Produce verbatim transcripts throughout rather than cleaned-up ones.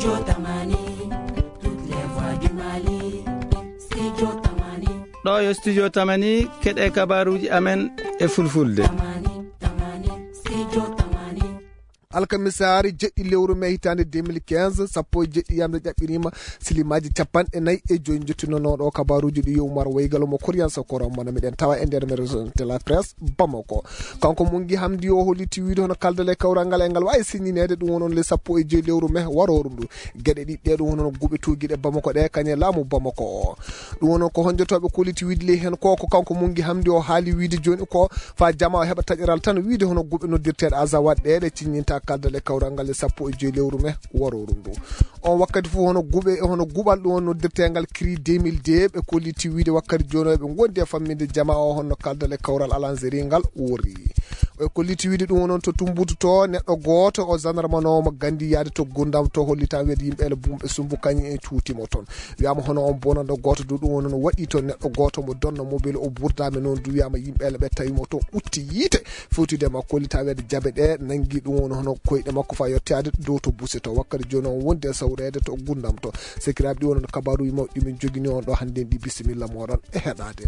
Studio Tamani, toutes les voix du Mali. Studio Tamani. Ɗo yo Studio Tamani, keɗe kabaruuji amen e fulfulde. Tamani, Tamani, Studio Tamani. Alkamisaari jeɗɗi lewru mai hitaande deux mille quinze, sappo e jeɗɗi yamde ƴaɓɓiriima silimaaji capanɗe nayi e joyi. Njettunooɗo kabaruuji ɗi yo Umar Waygal mo Koriyan Sokoro, mo miɗen tawa e nder maison de la presse Bamako. Kanko Mungi Hamdi o holliti wiide hono kaldal e kawral ngal e ngal waawi siñineede, ɗum woni le sappo e joyi lewru mai warooru ndu. Geɗe ɗiɗɗe ɗum woni guɓe tuugiiɗe Bamako ɗe kañe laamu Bamako o. Ɗum woni ko honjotooɓe kolliti wiide ley heen ko, ko kanko Mungi Hamdi o haali wiide jooni ko fa jamaa o heɓa taƴeral tan wiide hono guɓe noddirteeɗe Azawad ɗe ɗe ciññinta kaldal e kawral ngal e sappo e joyi lewru mai warooru ndu. On wakkati fof hono guɓe, hono guɓal ɗum woni noddirteengal Cri deux mille deux, ɓe kolliti wiide wakkati jooni o ɓe ngondi e famminde jamaa o honno kaldal e kawral alanzeri ngal worri. Ɓe kolliti wiide ɗum woni to Tumbutu to neɗɗo gooto o gendarme no mo gandi yaade to Gundam to hollitan wiide yimɓe ele bumɓe sumbu kañum en cuutimo toon. Wiyama hono on bonanɗo gooto du ɗum woni no waɗi toon neɗɗo gooto mo donna mobile o burdaama noon du wiyama yimɓe ele ɓe tawi mo toon utti yiite fewtude e makko hollitan wiide jabe ɗe nangi ɗum woni hono koyɗe makko fa yettoyaade dow to Buse to wakkati jooni on wondi e sawreede to Gundam to. Sekiraaɓe ɗi wonano kabaruuji mawɗi ɗi min jogini on ɗo hannde en ɗi bisimilla moɗon e heɗaade.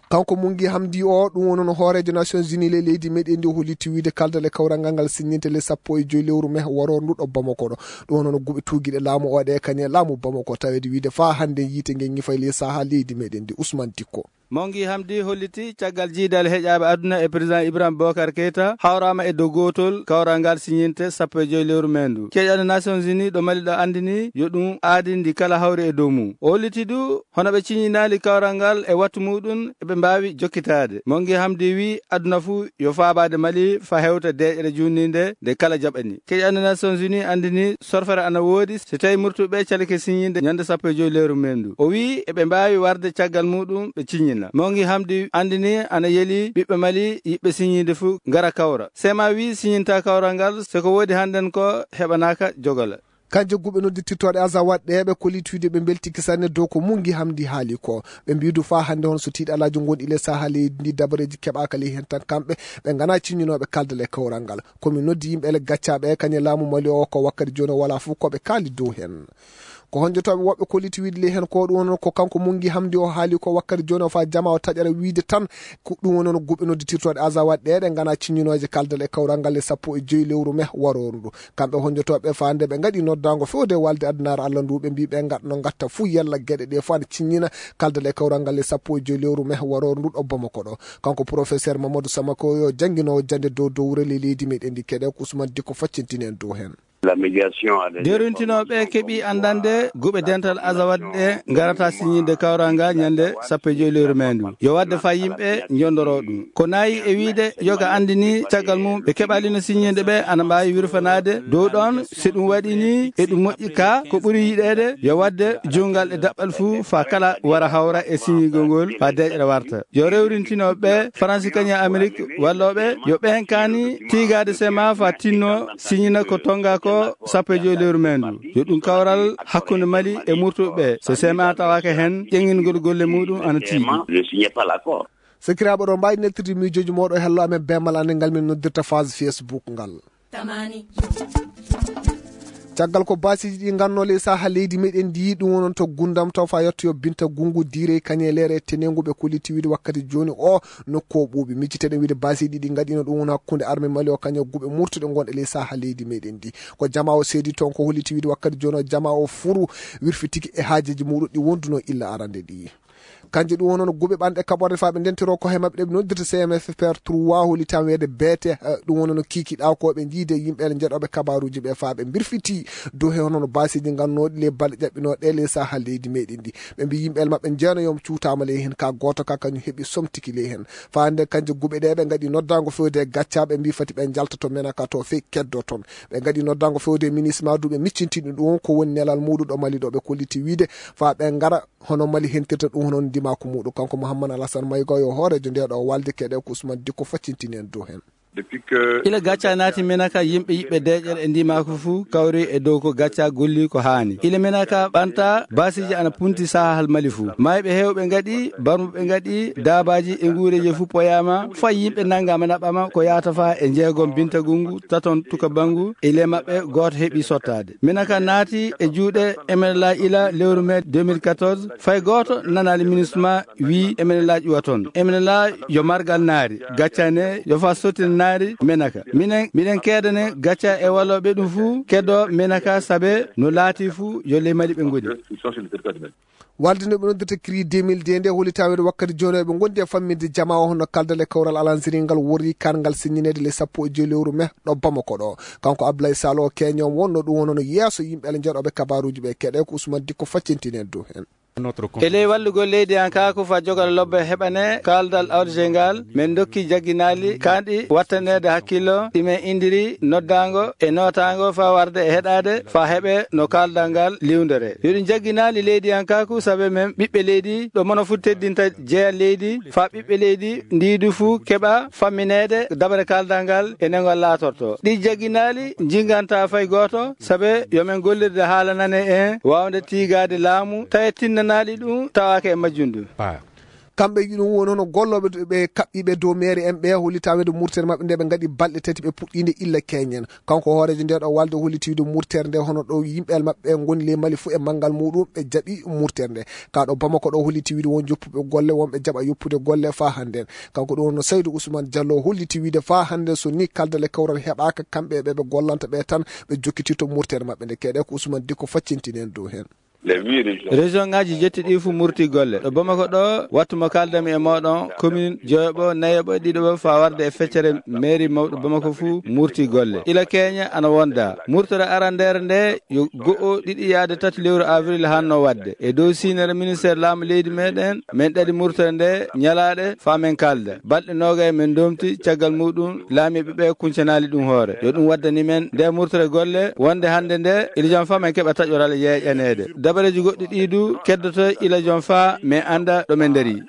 Kanko Mungi Hamdi o, ɗum woni no hooreejo Nations Unies ley leydi meɗen ndi, o holliti wiide kaldal e kawral ngal ngal siññinte le sappo e joyi lewru mai warooru ndu ɗo Bamako ɗo. Ɗum woni no guɓe tuugiiɗe laamu o ɗe kañe laamu Bamako, taweede wiide faa hannde yiite nge ñifay ley saha leydi meɗen ndi. Ousmane Dikko. Mongi Hamdi holliti caggal jiidal heƴaaɓe aduna e président Ibrahim Bokar Keita hawraama e dow gootol kawral ngal siñinte sappo e joyi lewru mai ndu. Keƴano Nations Unies ɗo Mali ɗo anndini yo ɗum aadi ndi kala hawri e dow mum. O holliti du hono ɓe ciññinaali kawral ngal e wattu muɗum eɓe mbaawi jokkitaade. Mongi Hamdi wi aduna fuu yo faabaade Mali fa hewta deeƴre juutninde nde kala jaɓani. Keƴano Nations Unies anndini sorfere ana woodi so tawi murtuɓe calike siññinde ñande sappo e joyi lewru mai ndu. O wi eɓe mbaawi warde caggal muɗum ɓe ciññina. Mongi Hamdi anndini ana yeli ɓiɓɓe Mali yiɗɓe siññinde fuu ngara kawra. Sema wi siññinta kawral ngal so ko woodi hannden ko heɓanaaka jogola. Kanje guɓe noddirtirtooɗe Azawad ɗe ɓe kolliti wiide ɓe mbeltiki sanne dow ko Mungi Hamdi haali ko. Ɓe mbiidu faa hannde hono so tiiɗalaaji ngonɗi le saha leydi ndi dabareeji keɓaaka ley heen tan kamɓe ɓe ngana ciññinooɓe kaldal e kawral ngal. Ko mi noddi yimɓe ele gaccaaɓe e kañe laamu Mali o ko wakkati jooni o wala fof ko ɓe kaali dow heen. Ko honjotooɓe woɓɓe kolliti wiide ley heen ko ɗum woni ko kanko Mungi Hamdi o haali ko wakkati jooni o faa jamaa o taƴara wiide tan ko ɗum woni no guɓe noddirtirtooɗe Azawad ɗe ɗe ngana ciññinooje kaldal e kawral ngal e sappo e joyi lewru mai warooru ndu. Kamɓe honjotooɓe faande ɓe ngaɗi noddaango fewde walde addunaare Allah ndu ɓe mbi ɓe ngaɗno ngatta fuu yalla geɗe ɗe faa ne ciññina kaldal e kawral ngal e sappo e joyi lewru mai warooru ndu ɗo Bamako ɗo. Kanko professeur Mamadou Samako yo jannginoowo jannde dow dowre ley leydi meɗen ndi keɗe ko Ousmane Dikko faccintini en dow heen. Derontinooɓe keɓi anndande guɓe dental Azawad ɗe ngarata siññinde kawral ngal ñande sappo e joyi lewru mai ndu. Yo waɗde faa yimɓe njondoro ɗum. Ko nayi e wiide yoga anndini caggal mum ɓe keɓalino siññinde ɓe ana mbaawi wirfanaade dow ɗon. Si ɗum waɗi ni e ɗum moƴƴi ka ko ɓuri yiɗeede yo waɗde junngal e daɓɓal fuu faa kala wara hawra e siññigol ngol faa deeƴre warta. Yo rewrintino ɓe Faransi kañum e Amerik wallooɓe yo ɓeen kaani tiigaade sema faa tinno siññina ko tonnga ko sappo e joyi lewru mai ndu. Yo ɗum kawral hakkunde Mali e murtuɓe ɓe. So sema tawaaka heen ƴeŋingol golle muɗum ana tiiɗi. Sekiraaɓe ɗo mbaawi neltirde miijooji mooɗo e hello amen beemal annde ngal min noddirta phase Facebook ngal. Tamani. Caggal ko baasiiji ɗi nganno ley saha leydi meɗen ndi ɗum wonon to Gundam taw fa yettoyo Binta Gungu Diirey Kañeleere e Tenengu ɓe kolliti wiide wakkati jooni o nokku o ɓuuɓi. Micciteɗen wiide baasiiji ɗi ngaɗino ɗum woni hakkunde arme Mali o kañum guɓe murtuɗe gonɗe ley saha leydi meɗen ndi. Ko jamaa o seedi toon ko holliti wiide wakkati jooni o jamaa o furu wirfitiki e haajeeji muɗum ɗi wonduno illa arande ɗi. Kanje ɗum wonono guɓe ɓanɗe kaɓorde faa ɓe ndentiro ko he maɓɓe ɗe ɓe noddirta C M F P R trois hollitan weede beete, eh, ɗum wonono kiikiɗa ko ɓe jiide yimɓe ele jeɗoɓe kabaruuji ɓe faa ɓe mbirfiti dow he honono baasiiji ngannooɗi le balɗe ƴaɓɓinooɗe le saha leydi meɗen ndi. Ɓe mbi yimɓe ele maɓɓe jeeno yom cuutaama ley hen ka gooto ka kañum heɓi somtiki ley hen. Faa nde kanje guɓe ɗe ɓe ngaɗi noddaango fewde e gacca ɓe mbi fati ɓe njalta to menaka to fey keddo toon. Ɓe ngaɗi noddaango fewde e ministre ma duuɓe miccintinɗi ɗum ko woni nelal muɗum ɗo Mali ɗo ɓe kolliti wiide faa ɓe ngara hono Mali hentirta ɗum hono ndimaku muɗum. Kanko Mouhammad Alassane Mayga yo hooreejo nde ɗo walde keɗe ko Ousmane Dikko faccintini en dow hen. Ila gacca naati Menaka, yimɓe yiɓɓe deeƴere e ndimaaku fuu kawri e dow ko gacca golli ko haani. Ila Menaka ɓanta, baasiiji ana punti sahahal Mali fuu. Maayɓe heewɓe ngaɗi, barmuɓe ngaɗi, daabaaji e nguureeji fuu poyaama, fay yimɓe nanngaama naɓɓaama ko yaata faa e njeegom Binta Gungu, taton Tuka Bangu, e le maɓɓe gooto heɓi sottaade. Menaka naati e juuɗe M N L A ila lewru mee deux mille quatorze, fay gooto nanaali MINUSMA wii M N L A ƴuwa toon. M N L A yo margal naari, gaccane yo faa sottina naari Menaka. Minen, miɗen keedane gacca e walooɓe ɗum fuu keddoo Menaka, sabe no laati fuu yo ley Mali ɓe ngoni. Walde no ɓe noddirta CRI deux mille deux nde holli taweede wakkati jooni eɓe ngondi e fammin'de jamaa o hono kaldal e kawral alansiringal worri karngal sinñineede le sappo e joy lewru mee ɗo Bamako ɗo. Kanko Abdoulaye Sall o keño wonno ɗum wonno yeeso yimɓe ale njeɗoɓe kabaruuji ɓe keɗe ko Ousmane Dikko faccintini en dow heen. E ley wallugol leydi an kaa ko fa jogal lobbe heɓane kaldal awdete ngal, min dokki jagginaali kanɗi wattaneede hakkillo ɗi min indiri noddaango e nootaango faa warde e heɗaade faa heɓe no kaldal ngal liwndere. Yo ɗum jagginaali leydi an kaa ko sabe min ɓiɓɓe leydi ɗo mono fuu teddinta jeya leydi faa ɓiɓɓe leydi ndiidu fuu keɓa fammineede dabare kaldal ngal e nengol laatorto. Ɗi jagginaali njinganta fay gooto sabe yo min gollirde haalanane en waawde tiigaade laamu tawi tinnanaali ɗum tawaaka e majjum ɗum. Kamɓe ɗum woni hono gollooɓe ɓe kaɓɓiiɓe dow meere en ɓe holli taweede murtere maɓɓe nde ɓe ngaɗi balɗe tati ɓe puɗɗiinde illa keñen. Kanko hooreejo nde ɗo walde holli tiwde murtere nde hono ɗo yimɓe maɓɓe ngoni ley Mali fuu e manngal muɗum ɓe jaɓi murtere nde. Ka ɗo Bamako ɗo holli tiwde won joppuɓe golle wonɓe jaɓa yoppude golle faa hannden. Kanko ɗum wonno Saydou Ousmane Diallo holli tiwde faa hannden so ni kaldal e kawral heɓaaka kamɓe ɓe ɓe gollanta ɓe tan ɓe jokkitirto murtere maɓɓe nde keɗe ko Ousmane Dikko faccintini en dow heen. Région ngaji jetti ɗi fuu murti golle. Ɗo Bamako ɗo, wattu mo kaldami e mooɗon, commune joyoɓo, nayoɓo, ɗiɗoɓo faa warde e feccere mairie mawɗo Bamako fuu murti golle. Ila keñe ana wonda. Murtere arandeere nde yo go'o, ɗiɗi yaade tati lewru avril hanno wadde. E dow siinere ministère laamu leydi meɗen, min ɗaɗi murtere nde ñalaaɗe faa min kalda. Balɗe noogay min domti, caggal muɗum laamiiɓe ɓe kuncanaali ɗum hoore. Yo ɗum waddani men nde murtere golle wonde hannde nde, ila jam faa min keɓa taƴoral yeeƴaneede. Dabareeji goɗɗi ɗi du keddoto ila jam faa min annda ɗo min ndarii.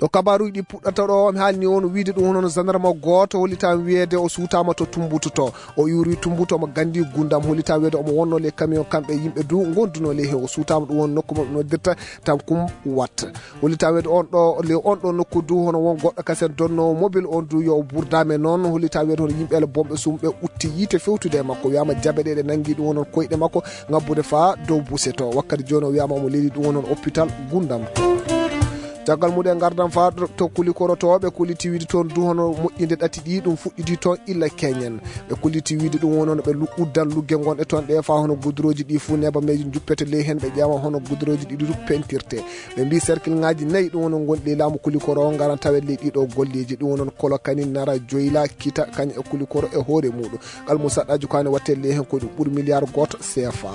Ɗo kabaruuji ɗi puɗɗata ɗo, mi haalni on wiide ɗum hono gendarme gooto hollitaa wiyeede o suutaama to Tumbutu to. O iwri Tumbutu omo ganndi Gundam, hollitaa wiyeede omo wonno ley camion kamɓe yimɓe du ngondunoo ley heen. O suutaama ɗum won nokku mo ɓe noddirta Tankum Wat. Hollitaa wiyeede on ɗo, ley on ɗo nokku du hono won goɗɗo kasen donnoowo mobile on du yo o burdaame noon. Hollitaa wiyeede hono yimɓe ele bomɓe sumɓe utti yiite fewtude e makko. Wiyaama jabe ɗe ɗe nanngi ɗum wonon koyɗe makko ngabbude faa dow buse to. Wakkati jooni o wiyaama omo leli ɗum wonon hôpital Gundam. Caggal muɗum en ngardan faa ɗo to Kulikoro to ɓe kolliti wiide toon du hono moƴƴinde ɗati ɗi ɗum fuɗɗiti toon illa keñen. Ɓe kolliti wiide ɗum wonon ɓe lu-, uddan lugge ngonɗe toon ɗe faa hono gudurooji ɗi fuu nebameeji njuppete ley heen ɓe ƴeewa hono gudurooji ɗi du pentirte. Ɓe mbii cercle ŋaaji nayi ɗum wonon ngonɗi ley laamu Kulikoro o ngaran tawen ley ɗiɗo golleeji ɗum wonon Kolokani, Nara, Joyla, Kita, kañ e Kulikoro e hoore muɗum. Ngal mo saɗɗaaji ko ani watte ley heen ko ɗum ɓuri miliyar gooto C F A.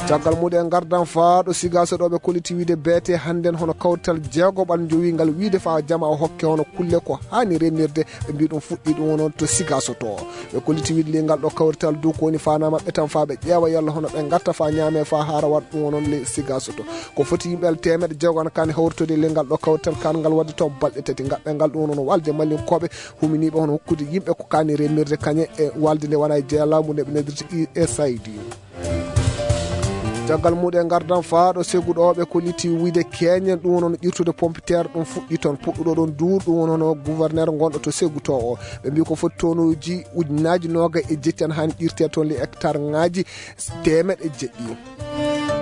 Caggal muɗum en ngardan faa ɗo Sigaaso ɗo ɓe kolliti wiide beete hannden hono kawrital jeego ɓan jowi ngal wiide faa jama o hokke hono kulle ko haani remnirde ɓe mbii ɗum fuɗɗi ɗum wonon to Sigaaso to. Ɓe kolliti wiide ley ngal ɗo kawrital du ko woni faanaa maɓɓe tan faa ɓe ƴeewa yalla hono ɓe ngarta faa ñaame faa haara waɗ ɗum wonon ley Sigaaso to. Ko foti yimɓe teemeɗɗe jeego ana kaani hawritoyde ley ngal ɗo kawrital kaan ngal waɗde to balɗe tati ngaɓɓe ngal ɗum wonon walde mallinkooɓe huminiiɓe hono hokkude yimɓe ko kaani remnirde kañe e walde nde wona e jeya laamu nde ɓe noddirta U S A I D. Caggal muɗum en ngardan faa ɗo segu ɗo ɓe kolliti wiide keñen ɗum wonon ƴirtude pompiteer ɗum fuɗɗi toon puɗɗuɗo ɗon duur ɗum wonono gouverneur gonɗo to segu to o. Ɓe mbii ko foti tonuuji ujunnaaji noogay e jetti ana haani ƴirtee toon ley hectare ŋaaji teemeɗɗe jeɗɗi.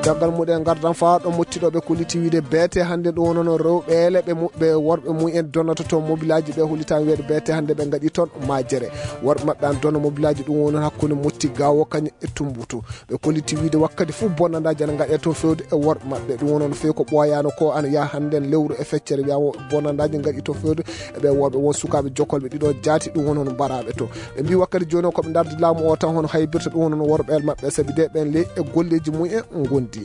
Caggal muɗum en ngardan faa ɗo mottiɗo ɓe kolliti wiide beete hannde ɗum wonono rewɓe ele ɓe mu-, ɓe worɓe mumen donnata toon mobilaaji ɓe hollitaa wiyeede beete hannde ɓe ngaɗi toon majere. Worɓe maɓɓe an donna mobilaaji ɗum wonon hakkunde motti gawo kañum e Tumbutu. Ɓe kolliti wiide wakkati fof bonnandaaji ana ngaɗee toon fewde e worɓe maɓɓe. Ɗum wonon feewi ko ɓooyaano ko ana yaha hannden lewru e feccere wiyaama bonnandaaji ngaɗi toon fewde e ɓe worɓe won sukaaɓe jokkolɓe ɗiɗo jaati ɗum wonon mbaraaɓe toon. Ɓe mbii wakkati jooni o ko ɓe ndardi laamu o tan hono haybirta ɗum wonon worɓe maɓɓe sabi de ɓen ley e golleeji mumen ngondi.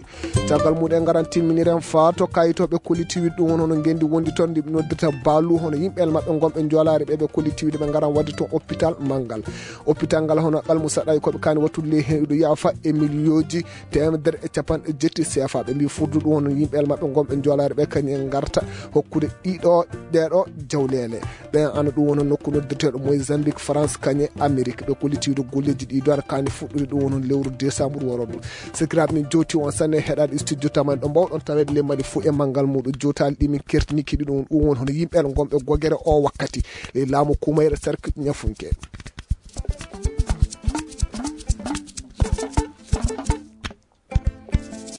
Caggal muɗum en ngaran timminiren faa to kayitooɓe kollitiiɗi ɗum woni hono ngenndi wondi toon ndi ɓe noddirta baalu, hono yimɓe maɓɓe ngonɓe Joolaare ɓe ɓe kollitiiɗi ɓe ngaran waɗde toon hôpital manngal. Hôpital ngal hono ɓalmu saɗayi ko ɓe kaani wattude ley heen ɗo yaafa e miliyooji teemedere e capanɗe jetti C F A. Ɓe mbii furdu ɗum hono yimɓe maɓɓe ngonɓe Joolaare ɓe kañum en ngarta hokkude ɗiɗo ɗeeɗo jawleele. Ɓen ana ɗum woni nokku noddirteeɗo Mozambique, France, kañe Amérique. Ɓe kollitiiɗo golleeji ɗi doar kaani fuɗɗude ɗum woni lewru décembre woroɗo. Sikiraaɓe min jowti on sanne heɗaade studio taman ɗo mbawɗon taweede ley Mali fof e manngal muɗum. Jowtaali ɗi min kertini kiɗi ɗum ɗum woni hono yimɓe gonɓe gogere o wakkati ley laamu Kumayra Sarki Ñafunke.